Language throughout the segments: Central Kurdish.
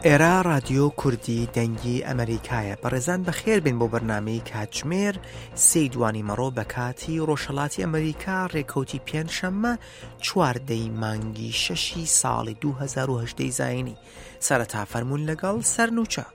ئێرە ڕادیۆ کوردی دەنگی ئەمەریکایە. بەڕێزان بەخێر بێن بۆ بەرنامەی کاتژمێر سێی دوانی مەڕۆ بە کاتی ڕۆژهەڵاتی ئەمەریکا ڕێکەوتی پێنجشەممە چواردەی مانگی شەشی ساڵی 2018 زایینی. سەرەتا فەرموون لەگەڵ سەرنوچە.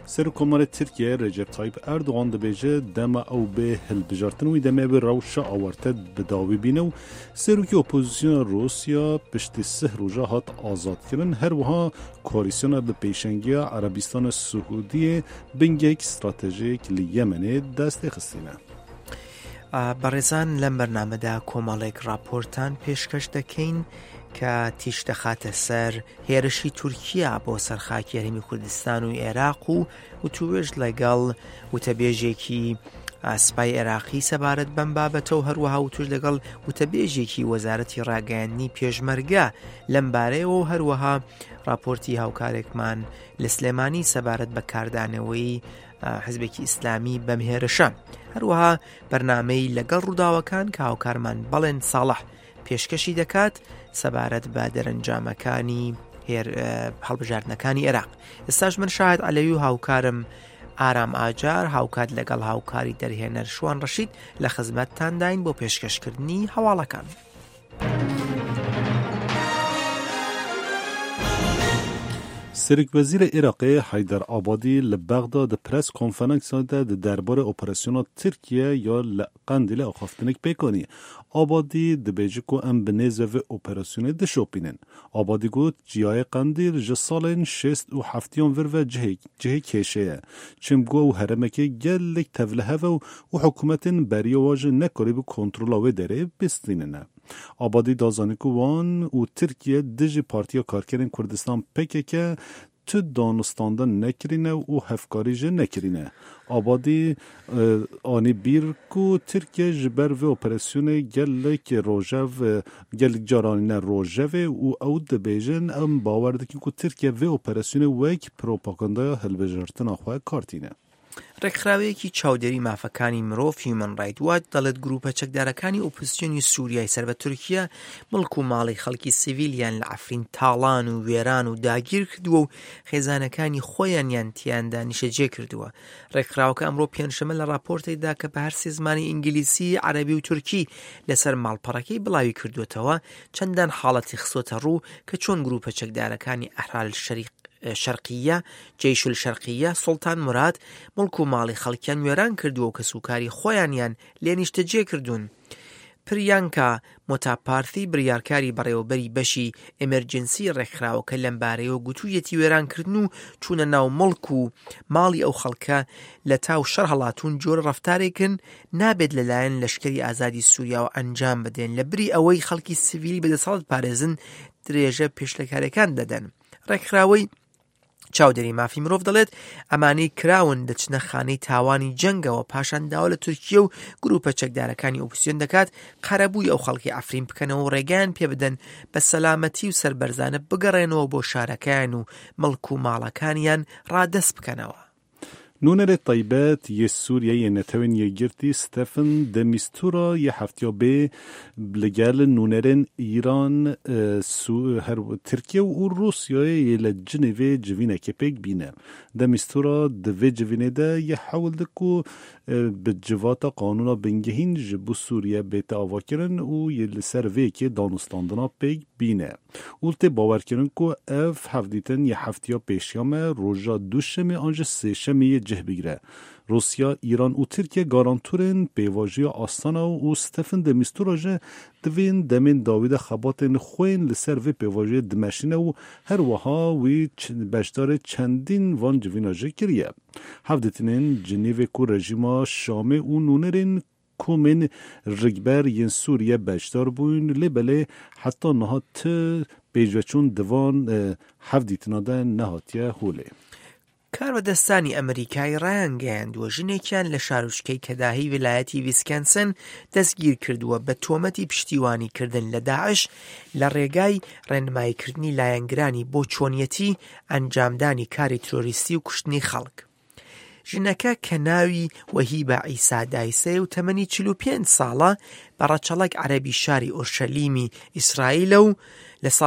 Serokkomarê Tirkiyeyê Recep Tayyip Erdogan dibêje dema ew bê hilbijartin wî demê ew ê rewşa awarte bi dawî bîne û Serokê Opozisyona Rûsya piştî sih roja hat azadkirin her wiha koalîsyona bi pêşengiya Erebîstana Siûdiyê bingehek stratejîk li Yemenê destê xistîne. بەڕێزان لەم بەرنامەدا کۆمەڵێک ڕاپۆرتان پێشکەش دەکەین کە تیش دەخاتە سەر هێرشی تورکیا بۆ سەر خاکی هەرێمی کوردستان و عێراق و وتوێژ لەگەڵ وتەبێژێکی سپای عێراقی سەبارەت بەم بابەتە و هەروەها وتوش لەگەڵ وتەبێژێکی وەزارەتی ڕاگەیاندنی پێشمەرگە لەم بارەیەوە و هەروەها راپۆرتی هاوکارێکمان لە سلێمانی سەبارەت بە کاردانەوەی حزبێکی ئیسلامی بەم هێرشە هەروەها بەرنمەی لەگەڵ ڕووداوەکان کە هاوکارمان بەڵێن ساڵح پێشکەشی دەکات سەبارەت بە دەرەنجامەکانی هەڵبژاردنەکانی عێراق ئێستاش من شاهد عەلەوی و هاوکارم ئارام ئاجار هاوکات لەگەڵ هاوکاری دەرهێنەر شوان ڕەشید لە خزمەتتانداین بۆ پێشکەشکردنی هەواڵەکان. Serokwezîrê Iraqê Heyder Abadî li Bexda di press konferansa de di derbarê operasyona Tirkiye ya li Qendîlê axaftinek pêk anî. Abadî dibêje ku em bi nêzve vê operasyonê dişopînin. Abadî got, Çiyayê Qendîl ji salên şêst û heftiyan vir ve cihê cihê kêşê ye. Çimku ew herêmekê gelek tevlihev e û hikûmetên beriya wan jî nekarîbû kontrola wê derê bistînin. Abadî da zanîn ku wan û Tirkiye dijî Partiya Karkerên Kurdistan pkk tu danûstandin nekirîne û hevkarî jî nekirîne. Abadî anî bîr ku Tirkiye ji ber vê operasyonê gelek rojev gelek car anîne rojevê û ew dibêjin em bawer dikin ku Tirkiye vê operasyonê wek propagandaya hilbijartina xwe kar tîne. ڕێکخراوەیەکی چاودێری مافەکانی مرۆڤ هیومن ڕایت واچ دەڵێت گروپە چەکدارەکانی ئۆپۆزسیۆنی سوریای سەر بە تورکیا مڵک و ماڵی خەڵکی سیڤیلیان لە عەفرین تاڵان و وێران و داگیر کردووە و خێزانەکانی خۆیانیان تیاندا نیشەجێ کردووە. ڕێکخراوەکە ئەمڕۆ پێنجشەممە لە ڕاپۆرتێکدا کە بە هەرسێ زمانی ئینگلیسی، عەرەبی و تورکی لەسەر ماڵپەڕەکەی بڵاوی کردووەتەوە، چەندان حاڵەتی خستۆتە ڕوو کە چۆن گروپە چەکدارەکانی ئەحرار شەرقییە، جەیش الشەرقییە، سوڵتان موراد، موڵک و ماڵی خەڵکیان وێران کردووە و کەسوکاری خۆیانیان لێ نیشتەجێ کردوون. پریانکا مۆتاپارثی بریارکاری بەڕێوەبەری بەشی ئێمێرجنسی ڕێکخراوەکە لەمبارەیەوە گوتوویەتی وێرانکردن و چوونە ناو موڵک و ماڵی ئەو خەڵکە لە تاو شەڕ هەڵاتوون جۆرە ڕەفتارێکن نابێت لەلایەن لەشکری ئازادی سووریاوە ئەنجام بدرێن لەبری ئەوەی خەڵکی سڤیلی بەدەسەڵات پارێزن درێژە پێشلەکارەکان دەدەن. ڕێکخراوەی چاودێری مافی مرۆڤ دەڵێت ئەمانەی کراون دەچنە خانەی تاوانی جەنگەوە پاشان داوا لە تورکیە و گروپە چەکدارەکانی ئۆپسیۆن دەکات قەرەبووی ئەو خەڵکی عەفرین بکەنەوە و ڕێگەیان پێبدەن بە سەلامەتی و سەربەرزانە بگەڕێنەوە بۆ شارەکەیان و مڵک و ماڵەکانیان ڕادەست بکەنەوە. Nûnerê taybet yê Sûriyeyê yê Netewên Yekgirtî Stephen de Mistura yê heftiya bê li gel nûnerên Îran, Tirkiye û Rûsyayê yê li Cinêvê civînekê pêk bîne. De Mistura di vê civînê de yê hewl di ku bi civata qanûna bingehîn ji bo Sûriye bête avakirin û yê li ser vê yekê danûstandina pêk bîne. Û tê bawerkirin ku ev hevdîtin yê heftiya pêşiya me roja duşemê an jî sêşemê yê cih bigire. Rûsya, Îran û Tirkiye garantorên pêvajoya Astana û Stephen de Mistura jî di vên demên dawî de xebatên xwe yên li ser vê pêvajoyê dimeşîne û her wiha wî beşdarê çendîn van civîna jî kiriye. Hevdîtinên Cinêvê ku rejîma Şamê û nûnerên Komên rikber yên Sûriye beşdar bûn lê belê heta niha ti pêşveçûn di van hevdîtina de nehatiye holê. کاربەدەستانی ئەمریکای ڕایانگەیاندووە ژنێکیان لە شارۆچکەی کەداهی ویلایەتی ویسکەنسن دەستگیرکردووە بە تۆمەتی پشتیوانیکردن لە داعش لە ڕێگای ڕێنماییکردنی لایەنگرانی بۆ چۆنیەتی ئەنجامدانی کاری ترۆریستی و کوشتنی خەڵک. ژنەکە کە ناوی وەهیبە عیسا دایسەیە و تەمەنی 45 ساڵە، بە ڕەچەڵەک عەرەبی شاری ئۆرشەلیمی ئیسرائیلە و لە ساڵی.